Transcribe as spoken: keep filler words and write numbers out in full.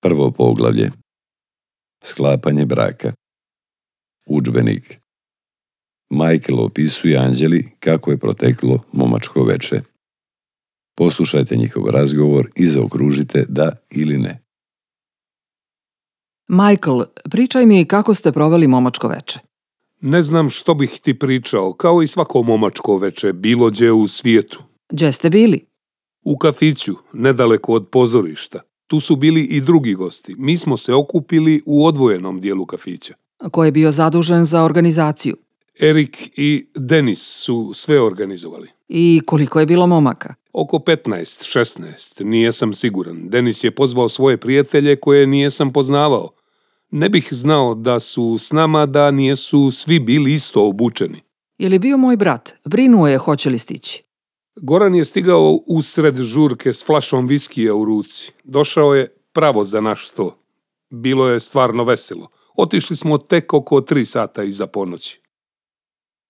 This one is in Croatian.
Prvo poglavlje. Sklapanje braka. Udžbenik. Michael opisuje Anđeli kako je proteklo momačko veče. Poslušajte njihov razgovor i zaokružite da ili ne. Michael, pričaj mi kako ste proveli momačko veče. Ne znam što bih ti pričao, kao i svako momačko veče, bilo gdje u svijetu. Gdje ste bili? U kafiću, nedaleko od pozorišta. Tu su bili i drugi gosti. Mi smo se okupili u odvojenom dijelu kafića. Ko je bio zadužen za organizaciju? Erik i Denis su sve organizovali. I koliko je bilo momaka? Oko petnaest, šesnaest, nije sam siguran. Denis je pozvao svoje prijatelje koje nije sam poznavao. Ne bih znao da su s nama da nijesu svi bili isto obučeni. Je li bio moj brat? Brinuo je hoće li stići. Goran je stigao usred žurke s flašom viskija u ruci. Došao je pravo za naš sto. Bilo je stvarno veselo. Otišli smo tek oko tri sata iza ponoći.